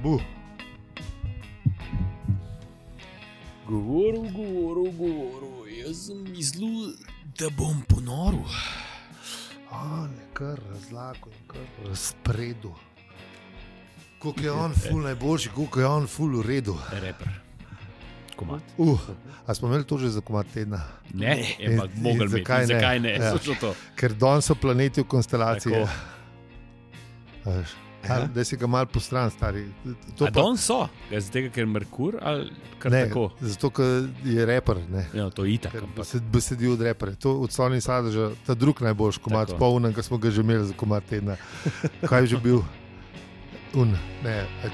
Govoril, jaz sem mislil, da bom ponoril. Kar razlago in kar razpredu. Koliko je on ful najboljši, koliko je on ful v redu. Reper. Komad. A smo imeli to že za komad tedna? Ne, ampak mogli imeti. Zakaj ne? Ja. Ker danes so planeti v konstelaciji. Da si ga malo postran, stari. Danes so? Zato, ker je Merkur ali kar ne, tako? Zato, ker je reper. Ne. Ja, to je itak. Besedi od repere. To od Sony Sadeža, ta drug najboljši komad, polnen, ki smo ga že imeli za komad tedna. Kaj je že bil?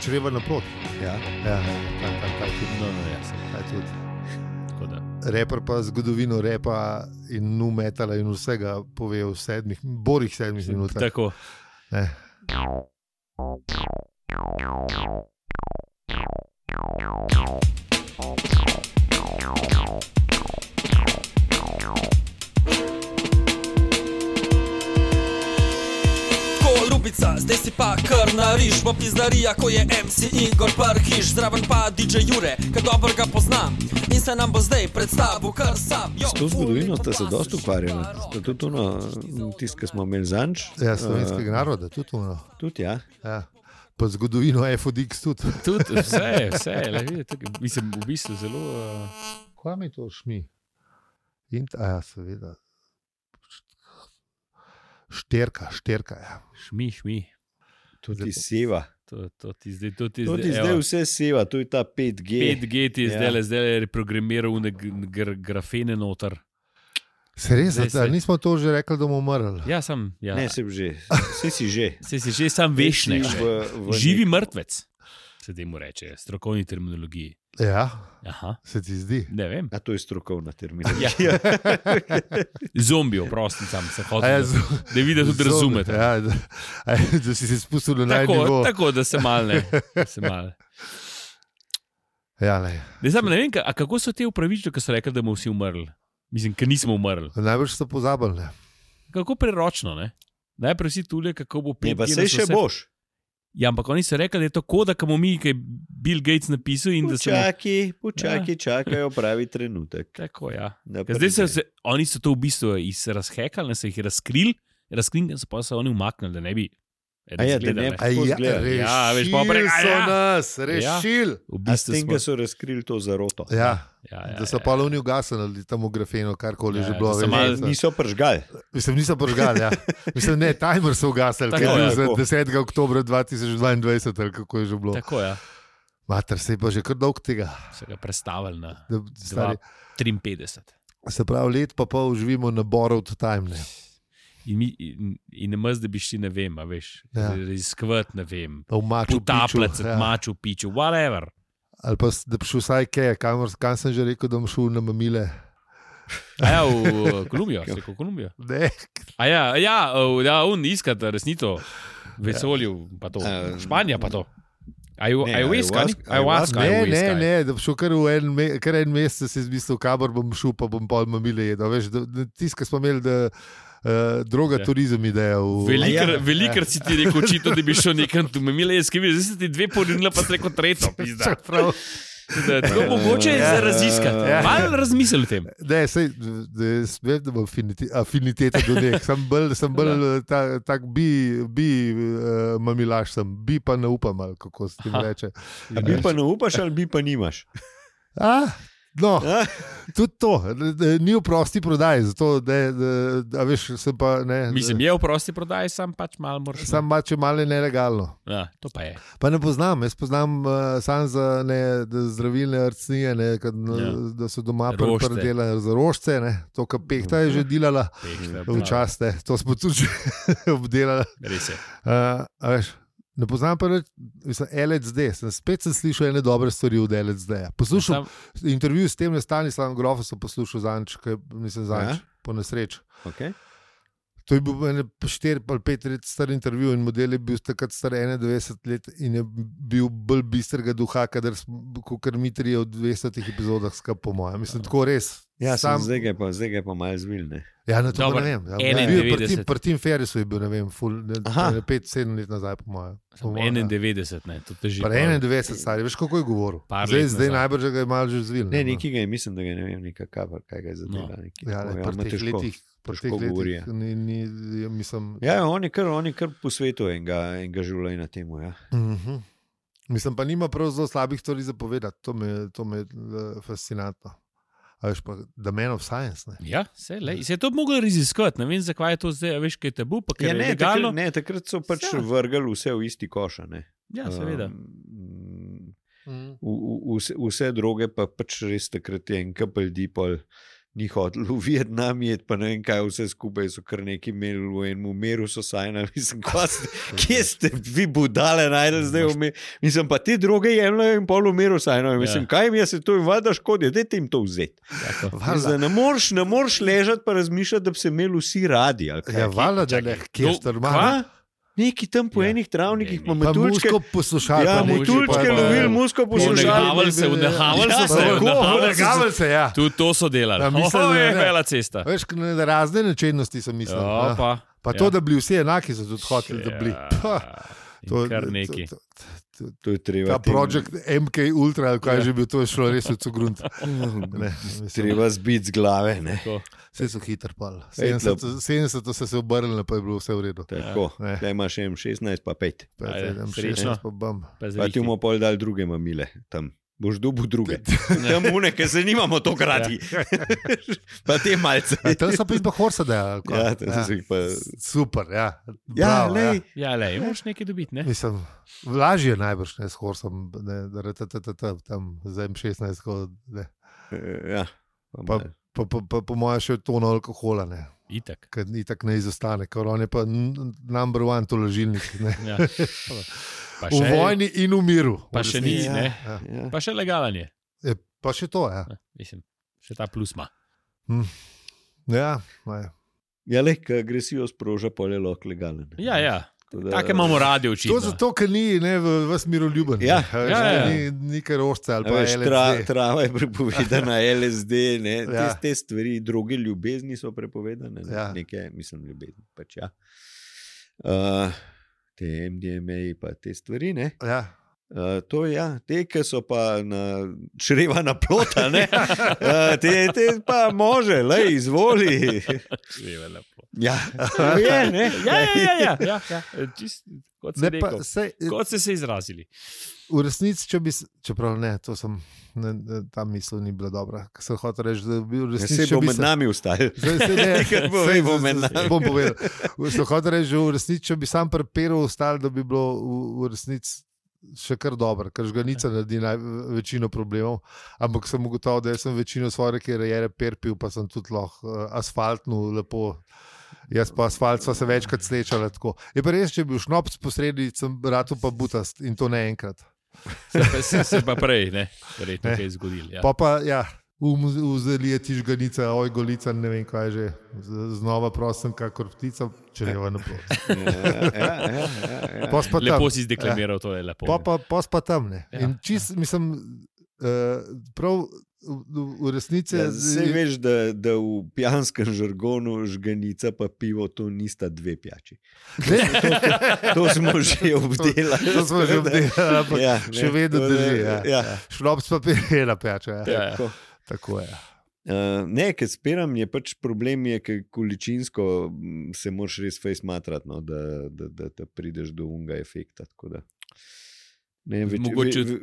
Čreva naprot. Ja. Reper pa zgodovino repa in nu metala in vsega pove v borih 7 minutah. Tako. Ne. Zdaj si pa kar nariš v pizdarija, ko je MC Igor Parhiš, zraven pa DJ Jure, ki dobro ga poznam in se nam bo zdaj predstavil kar sam. S to zgodovino ste se dosti ukvarjali. Ste tudi tisti, ki smo imeli zanč. Ja, slovenskega naroda, tudi ono. Tudi, ja. Pa zgodovino FODX tudi. Tudi, vse, mislim, v bistvu zelo... Kaj mi to šmi? Ja, seveda. Šterka, ja. Šmi. To ti seva. To ti zdaj vse seva, to je ta 5G. 5G ti je zdaj reprogramiral grafene noter. Se res, nismo to že rekli, da bomo umrli? Ja, sem. Ja. Ne, sem že. Vse si že. Sam veš ne. Živi mrtvec, se temu reče, strokovni terminologiji. Ja, aha. Se ti zdi? Ne vem. A to je strokovna terminologija. Zombi, oprosti, sam se hotel, da vidi, da tudi razumete. Ja, da si se spustil na najnivo. Tako, da se mal ne. Ja, ne. Ne vem, kako so te upravičili, ko so rekli, da bomo vsi umrli? Mislim, ker nismo umrli. Najbolj so pozabili. Kako preročno, ne? Najprej si tule, kako bo 5G. Ne, pa sej še boš. Ja, ampak oni so rekli, da je to koda, ki bomo mi, ki je Bill Gates napisal in da se... Čakajo pravi trenutek. Tako, ja. Zdaj oni so to v bistvu razhekali, so jih razkrili, pa so oni umaknili, da ne bi... Rešili so nas, rešili. A s tem, da so razkrili to zaroto. Ja, da so pa oni ugasnili tam v grafeno, karkoli že bilo. Niso pržgali. Niso pržgali, ja. Mislim, ne, timer so ugasili, ker je za 10. oktobra 2022, ali kako je že bilo. Tako, ja. Mater, se je pa že kar dolg tega. Se ga prestavili na 53. Se pravi, let pa pol živimo na borrowed time, ne. In ne maz, da bi šli, ne vem, a veš, raziskovati, ne vem, potapljati se, Machu Picchu, whatever. Ali pa da bi šel vsaj kaj, kam sem že rekel, da bom šel na mamile. A ja, v Kolumbijo, se rekel v Kolumbijo. Ne. A ja, on iskati resnito vesolju, pa to, Španija pa to. Ayahuasca? Ne, da bi šel kar en mesec, si izmislil, kamor bom šel, pa bom pol mamile jedel. Veš, tiskaj smo imeli, da droga turizem ideja. Velikrat si ti rekel očito, da bi šel nekam tu mamile, jaz ki bi, zdaj si ti 2 porinila, pa si rekel 3, pizda. Tako mogoče je za raziskati. Malo razmisel o tem. Ne, sej, vem, da bom afiniteta do nek. Sem bolj tak bi mamilaš sem, bi pa ne upam, ali kako se ti reče. Bi pa ne upaš ali bi pa nimaš? No, tudi to, ni v prosti prodaji, zato, a veš, sem pa, ne. Mislim, je v prosti prodaji, sam pač malo moraš. Sam pač je malo nelegalno. Ja, to pa je. Pa ne poznam, jaz poznam sam za zdravilne arcnije, da so doma predelali za rožce, ne, to, kar Pehta je že delala, včasih, ne, to smo tudi že obdelali. Res je. A veš, ne poznam pa LSD, spet sem slišal ene dobre stvari od LSD-ja. Poslušal intervju s tem Stanislavom Grofom, sem poslušal zanč, po nesreč. Okay. To je bil 4 ali 5 let star intervju in model je bil takrat star 91 let in je bil bolj bistrega duha, kot mi 3 od 200 epizodah skupaj, po mojem. Mislim, tako res. Ja, zdaj ga je pa malo zvil, ne? Ja, na to Dobar, ne vem. Ja, pri Tim Ferrisu je bil, ne vem, 5-7 let nazaj, po mojem. 91, ne, to teži. Pa 91 stari, veš, kako je govoril. Zdaj najbrž ga je malo že zvil. Ne, nekaj ga je, mislim, da ga ne vem, kaj ga je zadela. Ja, pri teh letih. Ja, on je kar po svetu enega življenja temu. Ja. Mislim, pa nima prav zelo slabih stvari za povedati. To me je fascinantno. A veš pa, The Man of Science. Ne? Ja, se je to moglo raziskovati. Ne vem, zakaj je to zdaj, veš, kaj je tabu. Ja, takrat so pač vrgali vse v isti koša. Ne? Ja, seveda. Vse droge pa pač res takrat je en kapelj dipol. Ni hotel v Vietnam jet, pa ne vem kaj, vse skupaj so kar neki imeli v enem umeru so sajnali. Mislim, kje ste vi budale najdel zdaj umer? Mislim, pa te droge jemljajo in pol umeru sajnali. Mislim, kaj mi je se to in vada škodi, dajte jim to vzeti. Ne moreš ležati pa razmišljati, da bi se imeli vsi radi. Ja, vala, da ne, kje ste normalno. Neki tam po enih travnikih, pa metuljčke. Pa muško poslušali. Ja, metuljčke lovili, muško poslušali. Vnehavali se, ja. Tudi to so delali. Je vela cesta. Veš, razne nečednosti sem mislil. Pa to, da bili vsi enaki, so tudi hoteli, da bili. Kar neki. To je treba. Ta projekt MK Ultra, kaj že bil, to je šlo res v cugrunt. Treba zbiti z glave, ne. Vse so hitro pali. 70 so se obrnili, pa je bilo vse v redu. Tako, da imaš M16 pa 5. Srečno. Pa ti bomo pol dali druge mamile tam. Boš dobil druge. Tam une, ker se nimamo to krati. Pa te malce. Tam so pa horse delali. Ja, tam so jih pa... Super, ja. Ja, lej. Ja, lej, moraš nekaj dobiti, ne? Mislim, lažje je najbrž, ne, s horsom, tam za M16, ja. Pa po mojem še tono alkohola, ne. Itak. Ker itak ne izostane, ker on je pa number one tolažilnik, ne. Ja. V vojni in v miru. Pa še ni, ne. Pa še legalen je. Pa še to, ja. Mislim, še ta plus ima. Ja, ja, le, ker agresijo sproža, pol je lahko legalen. Ja. Take imamo radi očitno. To zato, ker ni vas miroljuben. Ja. Ni kaj rožce ali pa LSD. Trava je prepovedana, LSD, ne. Te stvari, druge ljubezni so prepovedane. Nekaj, mislim, ljubezni, pač ja. Te MDMA pa te stvari, ne? Ja. To ja, te, ki so pa na čreva naplota, ne? Te pa može, lej, izvoli. Čreva naplota. Ja, je, ne? Ja. Čist, kot si rekel, kot ste se izrazili. V resnici, čeprav ne, to sem, ta misel ni bila dobra. Ker sem hotel reči, da bi v resnici... Se bo med nami ustajal. Bom povedal. Sem hotel reči, da v resnici, če bi sam preperal ustajal, da bi bilo v resnici še kar dobro, ker žganica naredi večino problemov, ampak sem ugotovil, da sem večino svoje kariere perpil, pa sem tudi lahko asfaltno lepo. Jaz pa asfalt sva se večkrat slečala tako. Je pa res, če bi bil šnopc posredi, sem rado pa butast in to ne enkrat. Se pa prej, ne? Verjetno kaj zgodil. Ja. Pa ja, vzeli je ti žganica, oj golica, ne vem kaj že. Znova prosim, kakor ptica, če ne va naplot. Lepo si zdeklamiral, to je lepo. Pa pa tam, ne. In čist, mislim, prav v resnici... Saj veš, da v pijanskem žargonu žganica pa pivo, to nista dve pijači. To smo že obdelali. Še vedno drži. Šnops pa je ena pijača. Tako je. Ne, ker spiram je pač problem, ker količinsko se moraš res fejs matrati, no, da prideš do unga efekta. Tako da. Ne,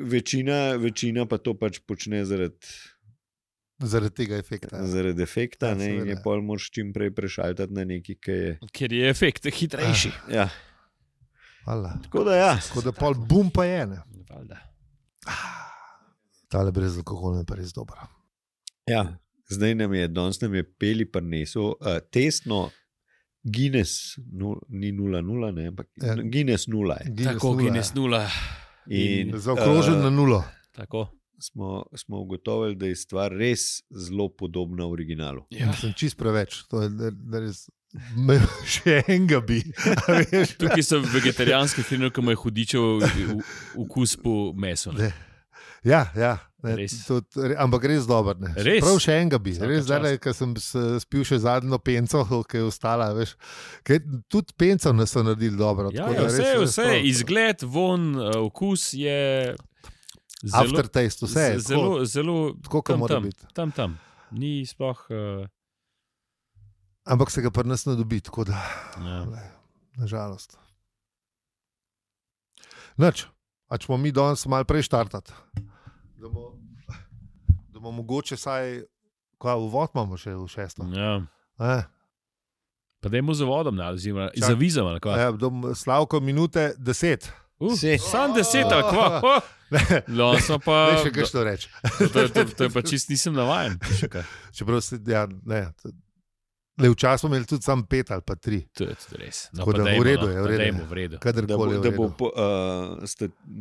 večina pa to pač počne zaradi tega efekta. Zaradi efekta, ne, in je pol moraš čim prej prešaltati na neki, ker je efekt hitrejši. Ja. Tako da ja. Tako da pol bum pa je, ne. Tale brez alkohola je pa res dobro. Ja, zdaj danes nam je Peli prinesel testno Guinness, ni 0,0, ne, ampak Guinness 0 je. Tako, Guinness 0. In zaokrožen na 0. Tako. Smo ugotovili, da je stvar res zelo podobna originalu. Ja. Sem čist preveč. To je res Še enega bi. Tukaj so vegetarijanski filmi, ki imajo hudičev vkus po mesu. Ja. Ampak res dober. Res? Prav še enega bi. Res zdaj, ker sem spil še zadnjo penco, ki je ostala. Veš, tudi penco nas so naredili dobro. Vse, izgled, von, vkus je aftertaste, vse je. Zelo tako, kot mora biti. Tam. Ni sploh... Ampak se ga pri nas ne dobi, tako da, nažalost. Nič, a če bomo mi danes malo prej štartati, da bomo mogoče saj, uvod imamo še v 6. Ja. Pa dajmo z vodom, za vizom, ali kva? Slavko, minute 10. Sam 10, ali kva? Ne še kaj što reči. To je pa čist nisem navajen. Čeprav se, včasih smo imeli tudi sam 5 ali pa 3. To je tudi res. V redu je.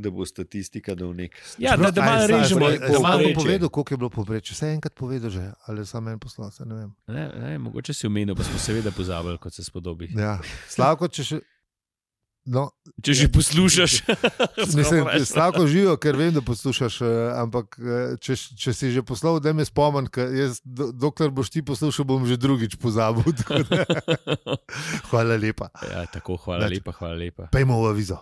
Da bo statistika dal nek... Ja, da malo režemo. Da malo povedal, koliko je bilo povprečje. Vse enkrat povedal že, ali samo en poslal, se ne vem. Ne, mogoče si omenil, pa smo seveda pozabili, kot se spodobi. Ja, Slavko, če še... Če že poslušaš. Slavko živo, ker vem, da poslušaš, ampak če si že poslal, da me spomnim, dokler boš ti poslušal, bom že drugič pozabil. Hvala lepa. Ja, tako, hvala lepa. Pejmo v avizo.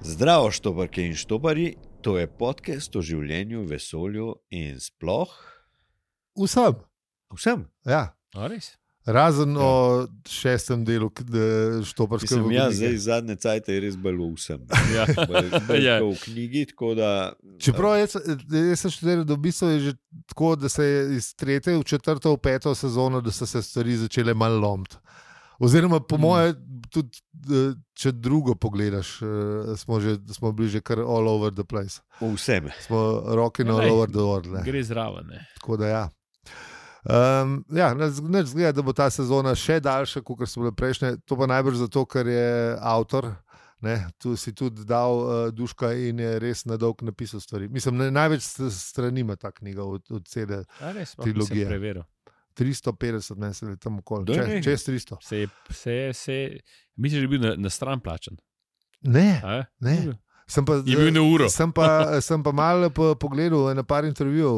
Zdravo, štoparke in štopari, to je podcast o življenju, vesolju in sploh. Vsem? Ja. Res? Razen o 6. delu štoparske vodnike. Ja, zdaj zadnje cajte je res bilo vsem. Ja. V knjigi, tako da... Čeprav jaz sem študiral, da v bistvu je že tako, da se je iz 3. v 4. v 5. sezono, da so se stvari začele malo lomiti. Oziroma, po moje, tudi če drugo pogledaš, smo bili že kar all over the place. Vsem. Smo rocking all over the world. Gre zraven. Tako da ja. Neč zgleda, da bo ta sezona še daljša, kot so bile prejšnje. To pa najbrž zato, ker je avtor, tu si tudi dal duška in je res na dolg napisal stvari. Mislim, največ strani ima ta knjiga od cele trilogije. Sem preveril. 350, ne se je tam okoli. Čez 300. Misliš, da je bil na stran plačen? Ne. Je bil na uro. Sem pa malo pogledal na par intervjujev,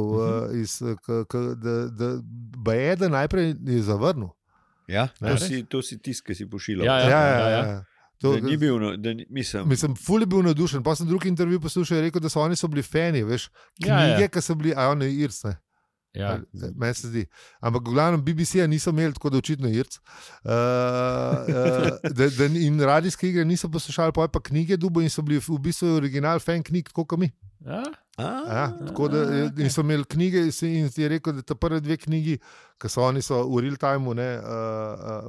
da je najprej zavrnil. Ja, to si tisk, ki si pošiljal. Ja. Ni bil, mislim, ful je bil navdušen. Pa sem drugi intervju poslušal in rekel, da so oni bili fani, veš, knjige, ki so bili, oni Irsne. Ja. Meni se zdi. Ampak v glavnem BBC-ja niso imeli, tako da očitno Irc. In radijske igre niso poslušali, pa knjige dubo in so bili v bistvu original fan knjig, tako kot mi. Tako da in so imeli knjige in je rekel, da ta prve 2 knjigi, ki so oni v real time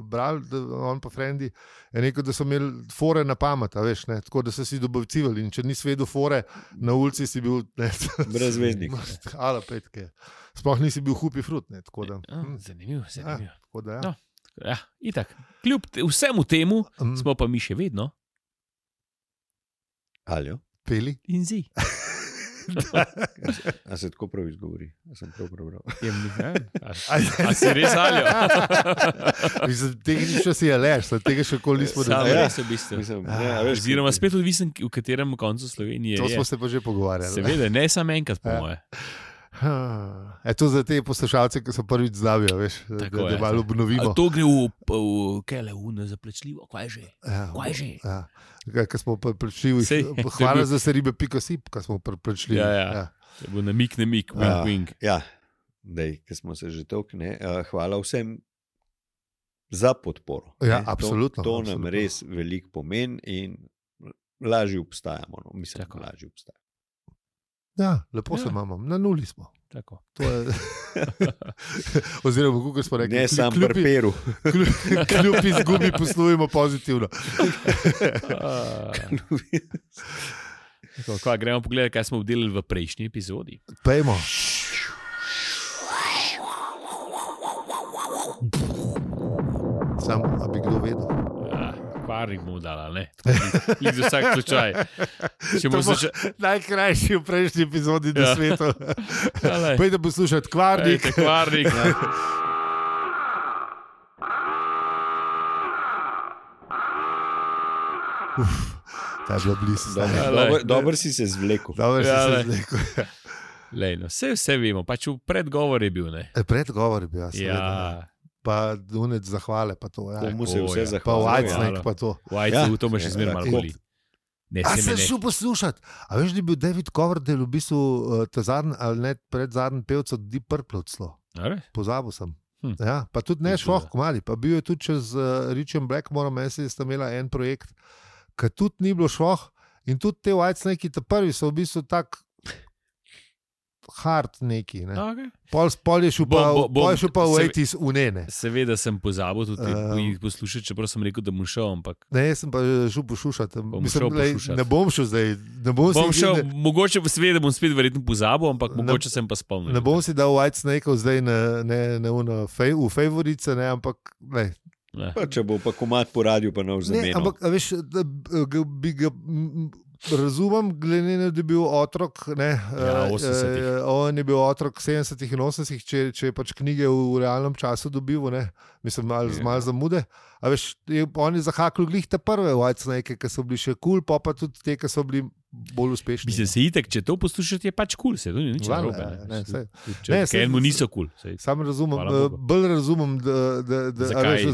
brali, on pa frendi, je rekel, da so imeli fore na pamet, veš, tako da so si dobavcivali in če nisi vedel fore, na ulici si bil brezveznik. Ala petke. Sploh nisi bil hupi frut. Zanimivo. Tako da ja. Ja, itak. Kljub vsemu temu smo pa mi še vedno. Aljo? Peli? In zi. A se tako prav izgovori? A sem prav prebral. A si res aljo? Tehnično si je leš, tega še koli nismo dali. Res v bistvu. Oziroma spet odvisen, v katerem koncu Slovenije je. To smo se pa že pogovarjali. Seveda, ne samo enkrat po moje. To za te poslušalce, ki so prvič znavijo, veš, da malo obnovimo. To gre v Keleu, zaplačljivo, kaj že? Kaj smo preplačljivi, hvala za seribe.si, kaj smo preplačljivi. Ja. To bo namik, wink. Ja, ker smo se že tokne, hvala vsem za podporo. Ja, absolutno. To nam res veliko pomeni in lažje obstajamo. Mislim, da lažje obstajamo. Ja, lepo se imamo, na nuli smo. Tako. To je... Oziroma, kako smo rekli, ne sam prperu. Kljub izgubi poslujemo pozitivno. Gremo pogledati, kaj smo obdelali v prejšnji epizodi. Pejmo. Sam, a bi kdo vedel? Kvarnik mu dala, ne? Za vsak slučaj. Najkrajši v prejšnji epizodi na svetu. Pojdi poslušati Kvarnik. Kvarnik. Ta je bila blizu. Dobro si se zvlekel. Vse vemo, pač v predgovor je bil. Predgovor je bil, ja. Pa dunec zahvale, pa to. Komu se vse zahvale? Pa Whitesnake, pa to. Whitesnake, to me še zmeraj malo boli. A sem šel poslušati. A veš, da je bil David Coverdale v bistvu zadnji, ali ne predzadnji pevc od Deep Purple odslo. Pozabil sem. Ja, pa tudi ne šloh komali. Pa bil je tudi čez Richard Blackmore, meni sta imela en projekt, ki tudi ni bilo šloh. In tudi te Whitesnake, ta prvi so v bistvu tak hard neki. Ne? Okay. Pol je šel pa v 80s unene. Seveda sem pozabil tudi poslušati, čeprav sem rekel, da bom šel. Ampak... Ne, sem pa šel poslušati. Ne bom šel zdaj. Mogoče seveda bom spet verjetno pozabil, ampak mogoče sem pa spomnil. Ne bom si dal Whitesnakeov zdaj v favorice, ne, ampak ne. Pa, če bo pa komad po radiju, pa nov zamenil. Ampak, veš, bi ga... Razumem, glede na to, da je bil otrok, on je bil otrok 70-ih in 80-ih, če je pač knjige v realnem času dobil, mislim, malo zamude. A veš, on je zahakal glih te prve Whitesnake, ki so bili še kul, pa tudi te, ki so bili bolj uspešni. Mislim, se itek, če to poslušati, je pač kul, se to ni nič narobe. Ker mu niso kul. Sam razumem, bolj razumem,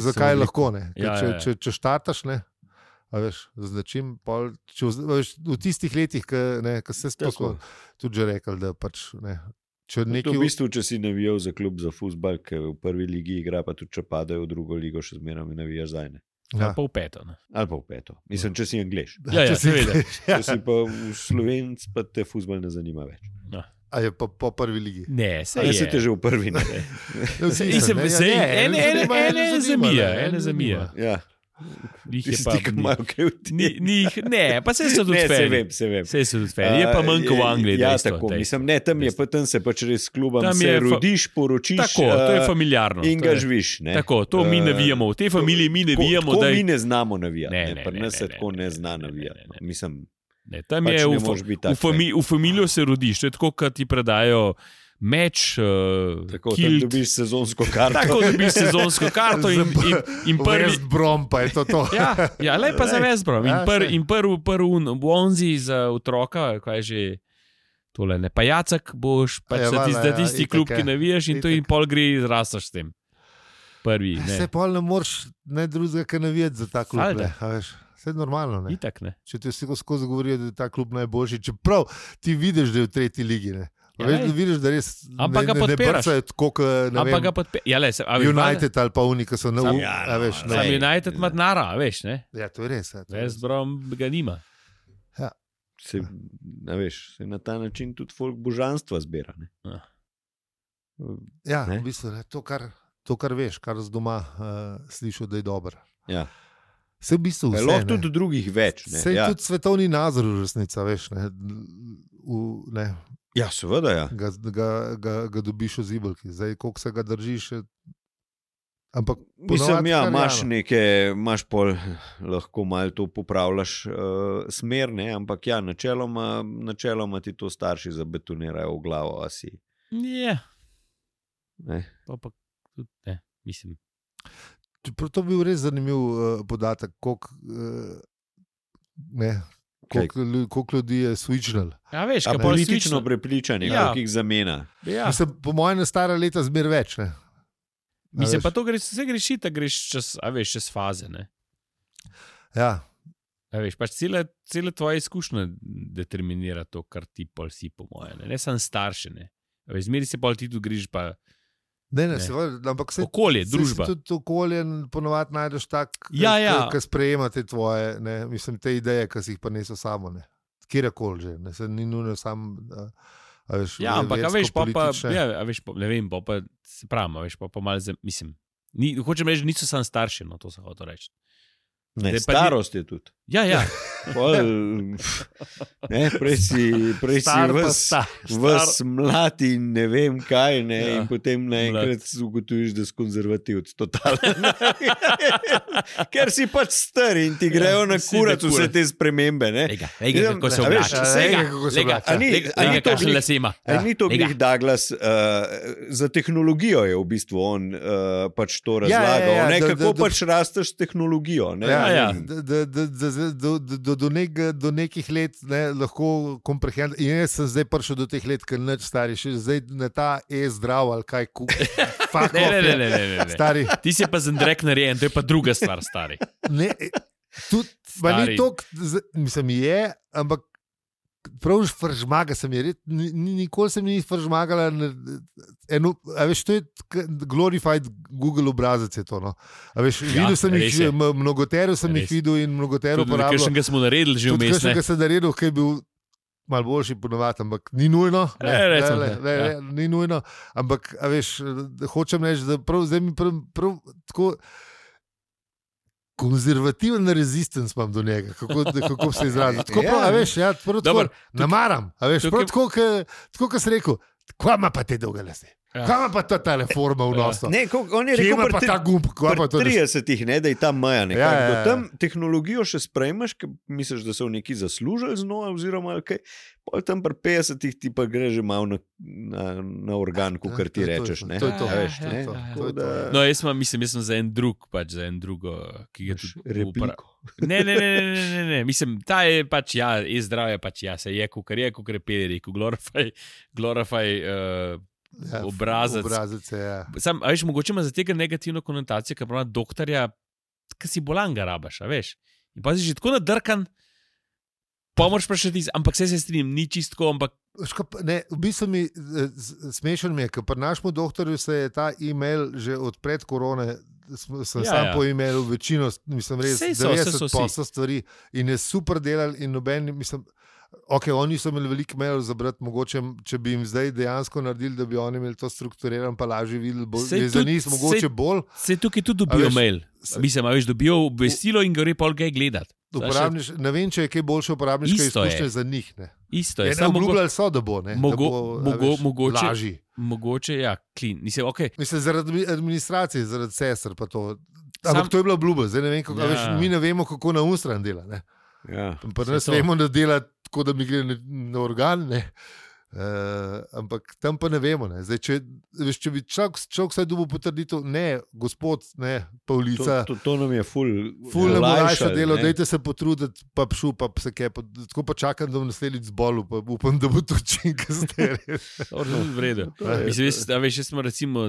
zakaj lahko, ne. Če štataš, ne. A veš, značim, v tistih letih, ko se spokoj tudi že rekel, da pač ne. V bistvu, če si navijal za klub za fuzbal, ki v prvi ligi igra, pa tudi če padajo v drugo ligo, še zmeraj navijaš zdaj. Ali pa v peto. Ali pa v peto. Mislim, če si Anglež. Ja, seveda. Če si pa v Slovenc, pa te fuzbal ne zanima več. A je pa po prvi ligi? Ne, se je. Si te že v prvi, ne. Ene zamija. Ja. Ne, pa se so tudi feri. Se so tudi feri. Je pa manjko v Angliji. Ja, tako. Mislim, ne, tam je pa tam se pač res klubam se rodiš, poročiš. Tako, to je familiarno. In ga živiš. Tako, to mi navijamo. V tej familiji mi navijamo. Tako mi ne znamo navijati. Pri nas se tako ne zna navijati. Mislim, tam je v familijo se rodiš. To je tako, kad ti predajo meč, tako da dobiš sezonsko karto. Tako da dobiš sezonsko karto in prvi... West Brom pa je to. Ja, lej pa za West Brom. In prvi Bonzi za otroka, kaj je že tole, ne pa Jacek, boš pač za tisti klub, ki navijaš in to in pol gre izrastaš s tem. Prvi, ne. Se pol ne moreš ne drugega, kaj navijati za ta klub, ne. Vse je normalno, ne. Itak, ne. Če ti vsi skozi govorijo, da je ta klub najboljši, čeprav ti vidiš, da je v tretji ligi, ne. Veš, da vidiš, da res ne brcajo tako, ne vem, United ali pa Unika so na Sam United ima denara, veš, ne? Ja, to je res. West Brom ga nima. Se na ta način tudi folk božanstva zbira, ne? Ja, v bistvu, to, kar veš, kar z doma slišal, da je dobro. Ja. Se v bistvu vse, lahko tudi drugih več, ne? Se tudi svetovni nazor v resnica, veš, ne? Ja, seveda, ja. Ga dobiš v zibelki. Zdaj, koliko se ga držiš, ampak mislim, ja, imaš pol, lahko malo to popravljaš smer, ne, ampak ja, načeloma ti to starši zabetonirajo v glavo, a si. Ja. Ne. Pa tudi ne, mislim. To bi bil res zanimiv podatek, koliko ljudi je switchnal. Ja, veš, politično prepričanje, koliko jih zamena. Ja. Mislim, po mojem, na stara leta zmer več, ne. Mislim, pa to vse greši, da greš čez faze, ne. Ja. Veš, pač cele tvoje izkušnje determinira to, kar ti pol si, po mojem, ne samo starše, ne. Zmeri se pol ti tu greš pa... Ne, ampak okolje, družba. Se tudi okolje ponovadi najdeš tak, ki sprejemate tvoje, ne, mislim, te ideje, ki si jih pa niso samo, ne. Kjerkoli že, ne, se ni nujno sam, veš, ja, ampak, veš, ne vem, pa se pravim, veš, pa malo, mislim, hočem reči, niso sam starši, no, to se hoče reči. Ne, starost je tudi. Ja, Prej si vas mlad in ne vem kaj, ne, in potem naenkrat ugotoviš, da si konzervativc, totalno. Ker si pač star in ti grejo na kurat vse te spremembe. Ega, kako se oblača. Ni to glih Douglas, za tehnologijo je v bistvu on pač to razlagal, kako pač rasteš s tehnologijo. Do nekih let lahko komprehend. In jaz sem zdaj prišel do teh let, ker nič stari, še zdaj na ta zdrav ali kaj Ne. Stari. Ti si pa zendrek narejen, to je pa druga stvar, stari. Ne, tudi, pa ni to, mislim, ampak prav fržmaga sem je, nikoli sem ni fržmagala, a veš, to je glorified Google obrazec je to, no. A veš, videl sem jih, mnogoteru sem jih videl in mnogoteru porabljal. Tudi kakšnega smo naredili že vmes, ne? Tudi kakšnega sem naredil, ki je bil malo boljši ponovati, ampak ni nujno. Ni nujno, ampak, a veš, hočem reči, da prav, zdaj mi prav tako konzervativen rezistence imam do njega, kako se izrazi. Tako prav, a veš, tako namaram, a veš, prav tako, kot si rekel, kva ima pa te dolge lase? Kaj ima pa ta reforma v nosu? On je rekel, pa ta gumb, pri 30-ih, da je ta meja nekako. Do tam tehnologijo še sprejmeš, ker misliš, da so neki zaslužili z njo, oziroma kaj, pol tam pri 50-ih ti pa gre že malo na organ, kar ti rečeš. To je to. No, jaz sem za en drug, pač za en drugo, ki ga tudi repliko. Ne, mislim, ta je pač, zdravje pač, se je, kukar je Peli rekel, glorify obrazec. Sam, a veš, mogoče ima za tega negativno konotacijo, ker pravi doktorja, ki si bolan ga rabaš, a veš. In pa si že tako nadrkan, pomoč prašati, ampak se strinjam, ni čistko, ampak... Ne, v bistvu smešen mi je, ker pri našemu doktorju se je ta e-mail že od pred korone, sem sam po e-mailu večino, mislim res, 90% stvari in je super delal in noben, mislim... Ok, oni so imeli veliko mailov za brati, mogoče, če bi jim zdaj dejansko naredili, da bi oni imeli to strukturiran, pa lažje videli, je za njih mogoče bolj. Se tukaj tudi dobijo mail. Mislim, a veš, dobijo obvestilo in gre pol kaj gledati. Ne vem, če je kaj boljše uporabniške izkušnje za njih. Ne. Isto je. Ne obljubljali so, da bo, ne. Mogoče lažji. Mogoče, clean. Mislim, zaradi administracije, zaradi sester pa to. Ampak to je bila obljuba, zdaj ne vem, kako, veš, mi ne vemo, kako na ustran dela, ne. Pa ne vemo, da dela tako, da mi gre na organ, ne. Ampak tam pa ne vemo. Ne. Zdaj, če bi človek vsaj dobil potrditev, ne, gospod, ne, Pavlica. To nam je ful nam olajša delo, dajte se potruditi, pa pšu, pa se kaj. Tako pa čakam, da bom naslednjič zbolel, pa upam, da bo to čim kasneje. V redu. Mislim, veš, smo recimo,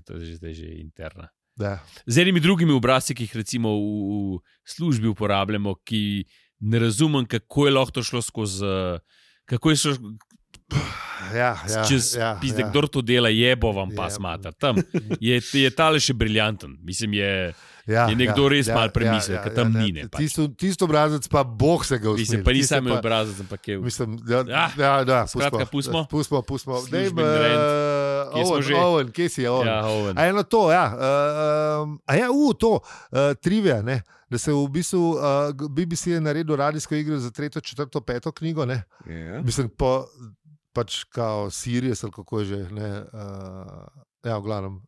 to je zdaj že interna. Da. Z enimi drugimi obrazci, ki jih recimo v službi uporabljamo, ki ne razumem, kako je lahko to šlo skozi, kako je šlo čez pizde, kdor to dela, jebo vam pa smata. Tam je tale še briljanten. Mislim, je nekdo res malo premislil, ker tam ni. Tisto obrazec pa Bog se ga usmeri. Mislim, pa nisem imel obrazec, ampak je... Mislim, skratka, pustimo. Owen, kje si je Owen? Owen. A eno to, to, trivia, ne? Da se v bistvu BBC je naredil radijsko igro za 3., 4., 5. knjigo, ne? Mislim, pač kao Sirius ali kako je že, ne? V glavnem.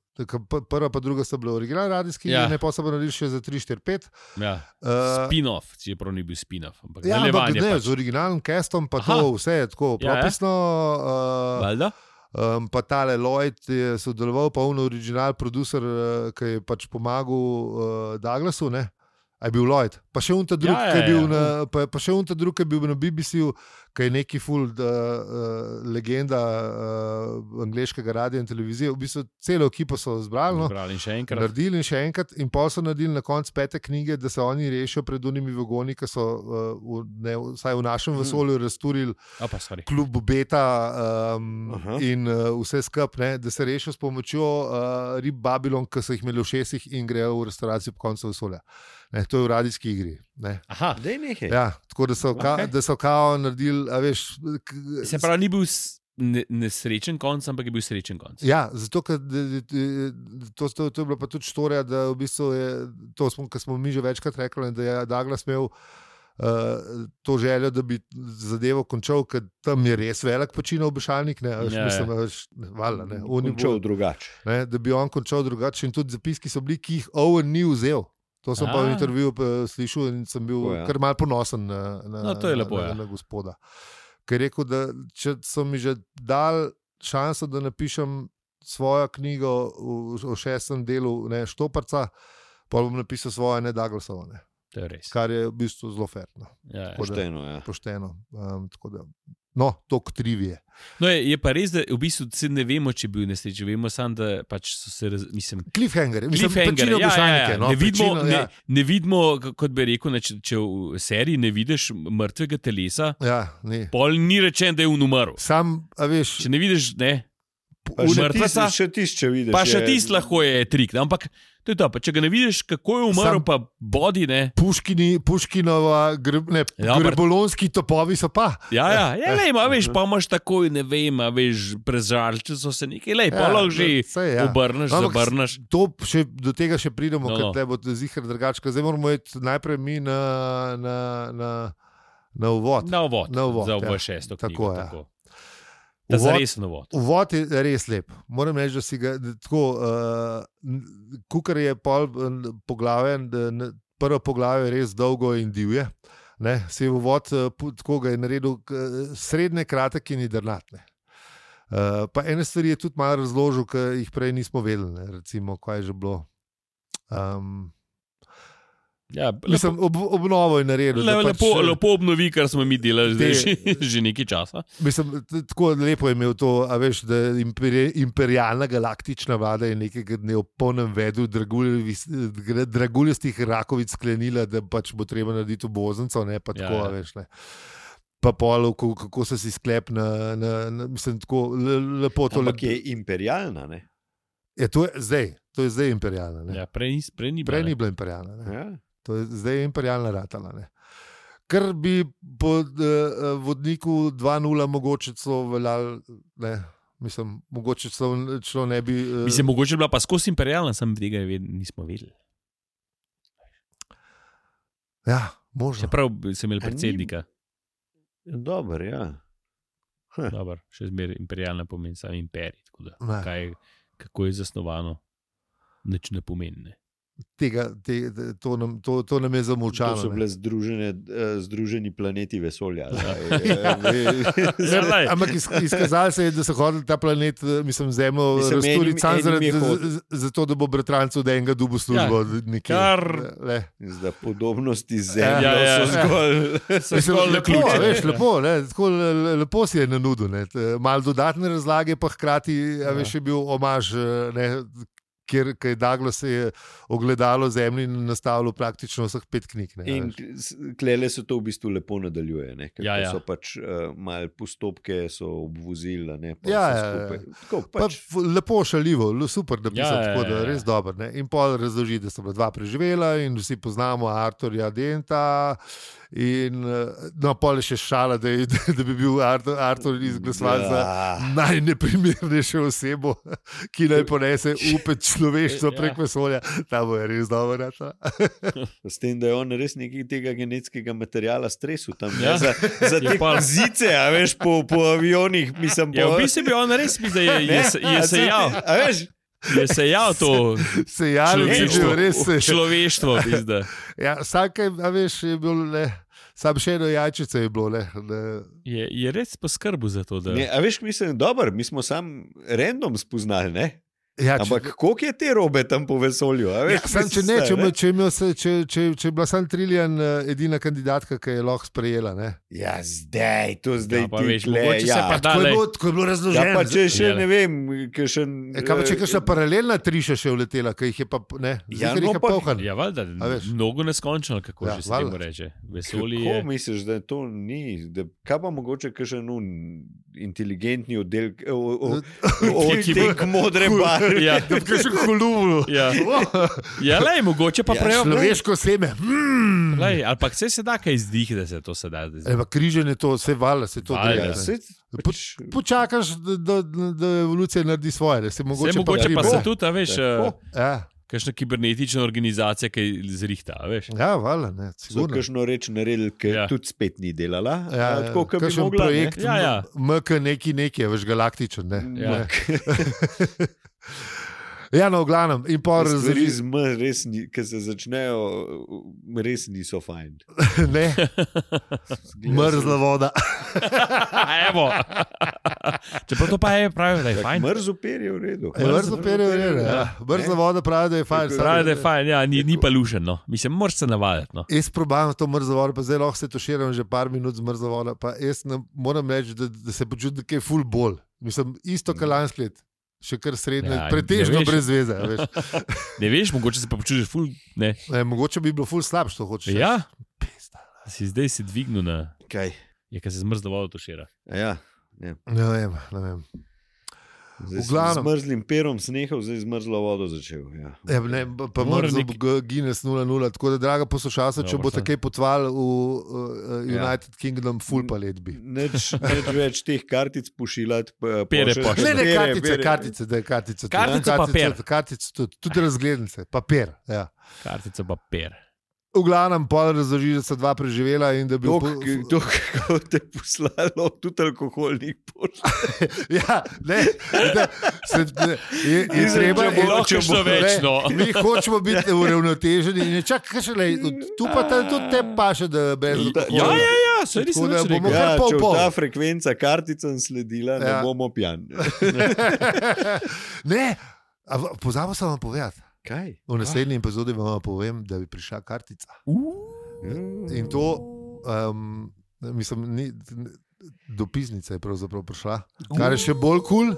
Prva pa druga sta bila originalna radijska igra, ne pa so naredili še za 3, 4, 5. Spin-off, čeprav ni bil spin-off. Ampak z originalnim castom pa to vse je tako propisno. Valjda? Pa tale Lloyd je sodeloval, pa original producer, ki je pač pomagal Douglasu, ne? A je bil Lloyd. Pa še unta drug, ki je bil na BBC-u, ki je neki full legenda angleškega radia in televizije. V bistvu celo ekipo so zbrali, naredili in še enkrat. In pa so naredili na koncu 5. knjige, da se oni rešijo pred unimi vagoni, ki so vsaj v našem vesolju razturili klub Beta in vse skup, da se rešijo s pomočjo rib Babylon, ki so jih imeli v šestih in grejo v restauracijo po koncu vesolja. Ne, to je v radijski igri. Ne. Aha, daj nekaj. Ja, tako da so kao naredili, a veš... Se pravi, ni bil nesrečen konc, ampak je bil srečen konc. Ja, zato, ker to je bila pa tudi štorija, da v bistvu je, to smo mi že večkrat rekli, da je Douglas imel to željo, da bi zadevo končal, ker tam je res velik počino obešalnik, mislim, valjda, ne. Končal drugače. Da bi on končal drugače in tudi zapiski so bili, ki jih Owen ni vzel. To sem pa v intervjuju slišal in sem bil kar malo ponosen na gospoda. Ker je rekel, da če so mi že dal šanso, da napišem svojo knjigo v 6. delu Štoparca, pa bom napisal svoje, ne Douglasovo. To je res. Kar je v bistvu zelo ferno. Pošteno. Tako da, toliko trivije. Je pa res, da v bistvu ne vemo, če je bil nesreč. Vemo samo, da pač so se Cliffhanger. Ne vidimo, kot bi rekel, če v seriji ne vidiš mrtvega telesa, pol ni rečen, da je umrl. Če ne vidiš, mrtveca, še tisti vidiš. Pa še tisti lahko je trik. Ampak to je to, pa če ga ne vidiš, kako je umrl, pa bodi, Puškinova, grebolonski topovi so pa. Veš, pa imaš takoj, ne vem, prežalči so se nekaj, pa lahko že obrneš, zabrneš. Do tega še pridemo, ker te bo zihar drugače. Zdaj moramo iti najprej mi na uvod. Na uvod, za obo 6. knjigo. Tako. Uvod je res lep. Moram reči, da si ga tako, kukar je poglavje, prvo poglavje je res dolgo in divje. Se je uvod, tako ga je naredil srednje kratek in jedrnat. Pa ene stvari je tudi malo razložil, ki jih prej nismo vedeli. Recimo, kaj je že bilo. Mislim, obnovo je naredil. Lepo obnovi, kar smo mi delali že nekaj časa. Mislim, tako lepo je imel to, a veš, da imperialna galaktična vlada je nekega dne ob polnem vedu draguljastih rakovic sklenila, da pač bo treba narediti obvoznico, pa tako, a veš, pa pol, kako se si sklep mislim, tako lepo to. Ampak je imperialna, ne? To je zdaj imperialna, prej ni bila imperialna, To je zdaj imperialna ratala. Kar bi po vodniku 2.0 mogoče celo veljal, mislim, mogoče celo ne bi... Mislim, mogoče bila pa skozi imperialna, sem tega nismo vedeli. Možno. Čeprav sem imel predsednika. Dobar, Dobar, še zmer imperialna pomeni sam imperij, tako da kako je zasnovano, nič ne pomeni, To nam je zamolčano. To so bile združeni planeti vesolja. Ampak izkazalo se je, da so hodili ta planet, mislim, Zemljo razturiti samo zato, da bo bratrancu od enega dobu službo. Zdaj podobnosti z Zemljo so zgolj lepo. Lepo si je nanudil. Malo dodatne razlage, pa hkrati je bil omaž, ker je Douglas ogledalo Zemlji in nastavilo praktično vseh 5 knjig. In klele se to v bistvu lepo nadaljuje. So pač malo postopke so obvozili. Lepo šaljivo, super, da pisal tako, da je res dobro. In pol razloži, da so bila 2 preživela in vsi poznamo Arturja Denta. In pol je še šala, da bi bil Artur izglasovan za najneprimernejšo osebo, ki naj ponese upet človeštvo prek vesolja. Ta bo je res dobro. S tem, da je on res nekaj tega genetskega materijala stresu tam. Za te zice, a veš, po avionih. V bistvu bi on res je sejal. A veš? Je sejal to človeštvo. Vsake, a veš, je bilo sam še eno jajčice je bilo. Je res poskrbel za to. A veš, mislim, dobro, mi smo sam random spoznali, ne? Ampak koliko je te robe tam po vesolju? Če je bila sam Trillian edina kandidatka, ki je lahko sprejela. Zdaj pa ti veš, mogoče se pa dale. Tako je bilo razloženo. Pa če še ne vem, kaj pa če kakšna paralelna triša še vletela, ki jih je pa, polhan. Valjda, mnogo neskončno, kako že se temu reče. Vesolje je... Kako misliš, da to ni? Kaj pa mogoče kakšen inteligentni oddelek odtek modre barve? Da bi kaj še hululo. Lej, mogoče pa prej. Človeško seme. Lej, ali pa vse se da kaj izdih, da se to se da. Križanje to, vse valjda, se to gre. Počakaš, da evolucija naredi svoje. Mogoče pa se tudi, veš... kakšna kibernetična organizacija, ki zrihta, veš? Ja, valjda, ne, sigurno. So kakšno reč naredili, ki tudi spet ni delala. Tako, kot bi mogla. Projekt MK neki, veš, galaktičen, ne. Ja. Ja, no, v glavnem. In pa ki se začnejo, res niso fajn. Ne, mrzla voda. Evo. Čeprav to pa je pravi, da je fajn. Mrzlo per je v redu. Mrzlo per je v redu, ja. Mrzla voda pravi, da je fajn. Pravi, da je fajn, ja, ni pa lušen, no. Mislim, moraš se navaditi, no. Jaz probam to mrzlo vodo, pa zdaj lahko se tuširam že par minut z mrzlo vodo, pa jaz moram reči, da se počutim nekaj ful bolj. Mislim, isto kalansko let. Še kar srednje, pretežno brez veze. Ne veš, mogoče se pa počutiš ful, ne. Mogoče bi bilo ful slab, što hočeš. Ja, zdaj si dvignil na... Kaj? Je, kaj se zmrzlo vodo tušira. Ja, ne vem. Zdaj z mrzlim perom snehal, zdaj z mrzlo vodo začel. Ja. Pa mrzlo Guinness 0-0, tako da, draga poslušalca, če bo takaj potval v United Kingdom, ful palet bi. Neč več teh kartic pošiljati. Pere pošiljati. Ne, kartice. Kartica pa per. Kartice tudi razglednice, papir, ja. Kartica pa per. V glavnem, pol razloži, da so dva preživela in da bi... Kako te poslalo, tudi alkoholnih pošlje. Ja, ne. Je treba... Lahko še več, no. Mi hočemo biti uravnoteženi in čakaj, tu pa tudi te paše, da brez alkohola. Ja, se res neč rekel. Če v ta frekvenca karticam sledila, ne bomo pijan. Ne, pozabil sem vam povedati. Kaj? V naslednji epizodi vam povem, da bi prišla kartica. In to, mislim, dopisnica je pravzaprav prišla, kar je še bolj kul.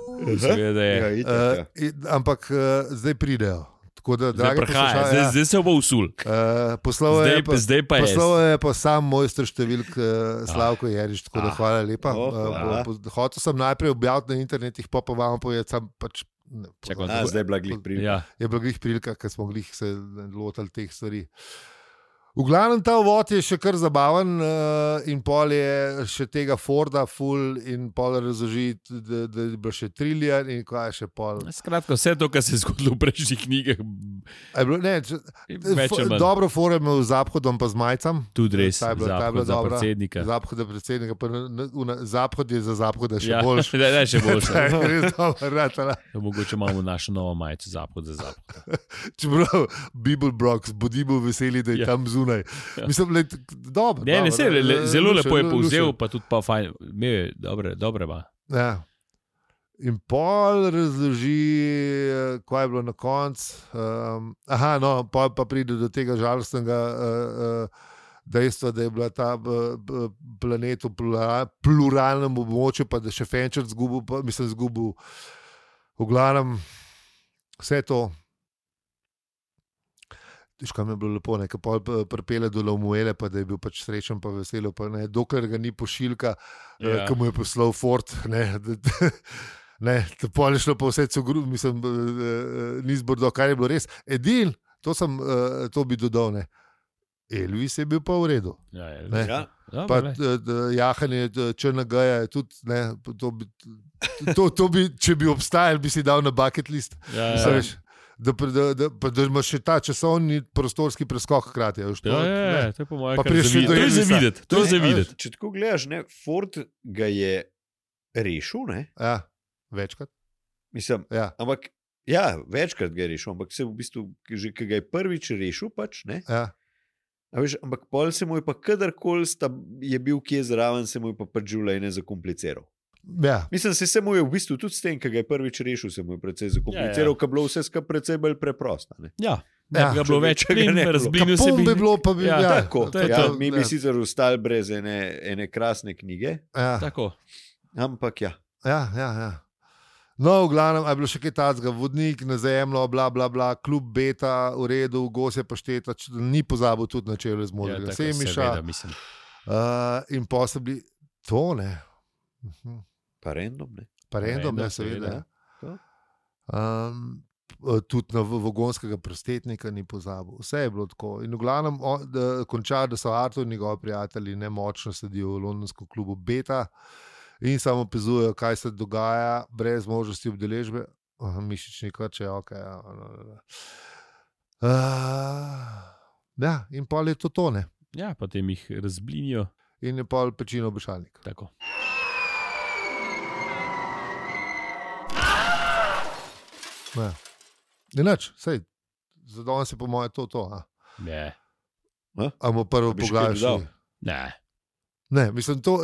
Ampak zdaj pridejo. Zdaj se bo usul. Zdaj pa je. Poslal je pa sam mojster številk Slavko Jerič, tako da hvala lepa. Hotel sem najprej objaviti na internetih, pa vam povedati, sam pač zdaj je bila glih prilika. Je bila glih prilika, ker smo glih se lotali teh stvari. V glavnem ta uvod je še kar zabaven in pol je še tega Forda full in pol razloži, da je bilo še trillion in kaj je še pol. Skratka, vse to, kar se je zgodilo v prejšnjih knjigah. Dobro for je imel z Zahodom pa z Majcem. Tudi res, Zahod za predsednika. Zahod za predsednika, Zahod je za Zahoda še boljši. Ja, še boljši. Res dobro, ratala. Mogoče imamo našo novo majico Zahod za Zahoda. Čeprav, Bible Brox, bodimo veseli, da je tam zunaj. Mislim, dobro. Zelo lepo je povzel, pa tudi pa fajn. Dobre ba. Ja. In pol razloži, kaj je bilo na koncu. Pol pa pride do tega žalostnega dejstva, da je bila ta planet v pluralnem območju, pa da še Fenčer zgubil. V glavnem, vse to. Kaj mi je bilo lepo, nekaj pol pripele do Laumuele, pa da je bil pač srečen pa veselo, pa ne, dokler ga ni pošiljka, ki mu je poslal Ford, pol je šlo pa vse cugru, mislim, ni zbordo, kar je bilo res. Edin, to bi dodal, ne. Elvis je bil pa v redu. Ja. Pa jahanje Črnagaja je tudi, ne, to bi, če bi obstajal, bi si dal na bucket list. Ja. Da imaš še ta časovni prostorski preskok hkrati. To je po mojem kar to je za videti. Če tako gledaš, Ford ga je rešil, ne? Ja, večkrat. Mislim, ampak, večkrat ga je rešil, ampak se v bistvu, že ki ga je prvič rešil pač, ne? Ja. Ampak pol se mu je pa kadarkoli je bil kje zraven, se mu je pa pač življenje zakompliciral. Ja. Mislim, se mu je v bistvu tudi s tem, ki ga je prvič rešil, se mu je precej zakompliciral, ker bilo vse skupaj precej bolj preprosto. Ja, ga bilo več, razblinil se bi bilo, pa bi mi bi sicer ostali brez ene krasne knjige. Ja. Tako. Ampak ja. No, v glavnem, je bilo še kaj tacga, vodnik na zemljo, bla, bla, bla, klub Beta, v redu, gosje pašteta, ni pozabil tudi na čevlje z modrega Semiša. In posebej to, ne. Pa random, ne? Pa random, seveda. Tudi na vagonskega prostetnika ni pozabil. Vse je bilo tako. In v glavnem konča, da so Artur in njegovi prijatelji nemočno sedijo v londonskem klubu Beta in samo opazujejo, kaj se dogaja, brez možnosti obdeležbe. Mišični krče, ok. Ja, in pol je to tone. Ja, potem jih razblinijo. In je pol pečino obešalnik. Tako. Ja. Inač, sej, za danes je po moje to. Ne. A mu prvo pogledaš? Ne, mislim, to...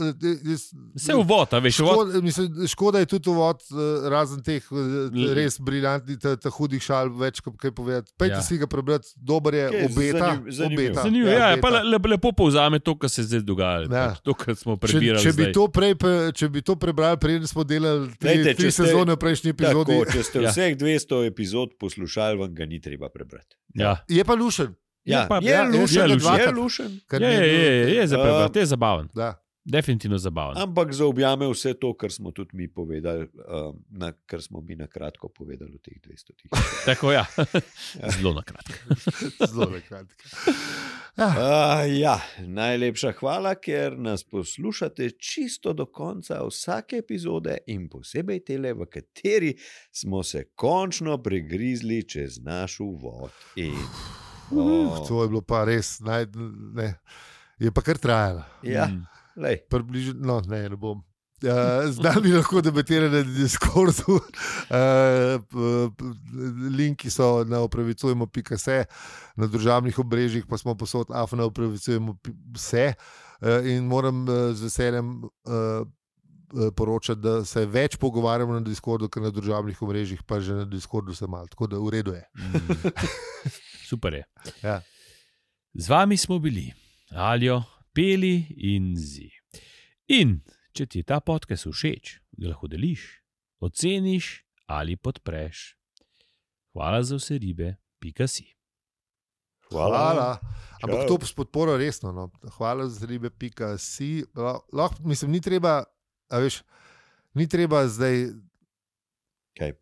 Vse uvod, a veš, uvod. Škoda je tudi uvod, razen teh res briljantnih, hudih šal, več kot kaj povedati. Pejte si ga prebrati, dober je, obeta. Zanimivo, ja, pa lepo povzame to, kar se zdaj dogaja. Ja. To, kar smo prebirali če bi to prebrali, preden smo delali tri sezone v prejšnji epizodi. Tako, če ste vseh 200 epizod poslušali, vam ga ni treba prebrati. Ja. Je pa lušen. Ja, je lušen. Je zabaven. Da. Definitivno zabaven. Ampak zaobjame vse to, kar smo tudi mi povedali, kar smo mi na kratko povedali v teh 200. Tako, ja. Zelo na kratko. Zelo na kratko. Ja, najlepša hvala, ker nas poslušate čisto do konca vsake epizode in posebej tele, v kateri smo se končno pregrizli čez naš uvod. To je bilo pa res, je pa kar trajalo. Ja, približno, ne bom. Zdaj bi lahko debatirali na Discordu. Linki so na opravicujemo.se, na družabnih obrežjih pa smo posod na opravicujemo.se in moram z veseljem poročati, da se več pogovarjamo na Discordu, kot na družabnih obrežjih, pa že na Discordu se malo, tako da v redu je. Super je. Ja. Z vami smo bili Aljo, Peli in Zi. In če ti je ta podcast všeč, ga lahko deliš, oceniš ali podpreš. Hvala za vse ribe, .si. Hvala. Ampak to s podporo resno. No. Hvala za ribe, .si. Mislim, ni treba, ni treba zdaj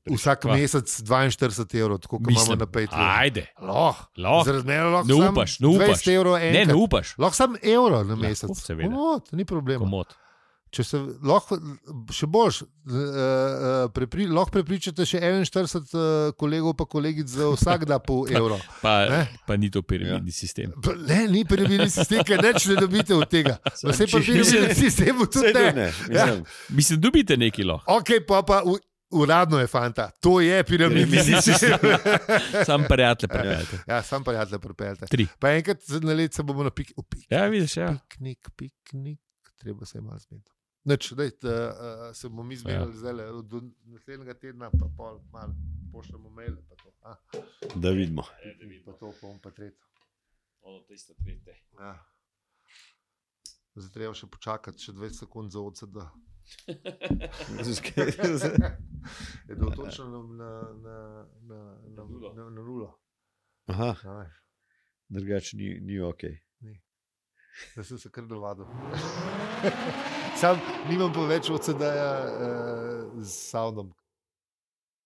vsak mesec 42 €, tako kot imamo na Patreonu. Ajde. Lahko. Ne upaš. 20 € enkrat. Ne upaš. Lahko samo evro na mesec. Komod, ni problema. Komod. Če se lahko, še boljš, lahko prepričate še 41 kolegov pa kolegic za vsak da pol evro. Pa ni to piramidni sistem. Ne, ni piramidni sistem, ker neč ne dobite od tega. Vse pa piramidni sistem tudi ne. Mislim, dobite neki lahko. Ok, pa uradno je, fanta. To je piramidni sistem. Sam prijatelj pripeljate. Ja, sam prijatelj pripeljate. 3. Pa enkrat na let se bomo na piknik. Ja, vidiš, ja. Piknik. Treba se je malo zmeniti. Neč, se bomo mi zmenili zdaj, do naslednjega tedna pa pol malo pošljamo mail. Da vidimo. Pa to, pa tretjo. Ono, tisto tretje. Ja. Zdaj treba še počakati, še 20 sekund za OCD. Je bilo točno na nulo. Aha. Drugače ni ok. Da sem se kar navadil. Sam nimam pa več OCD-ja z soundom.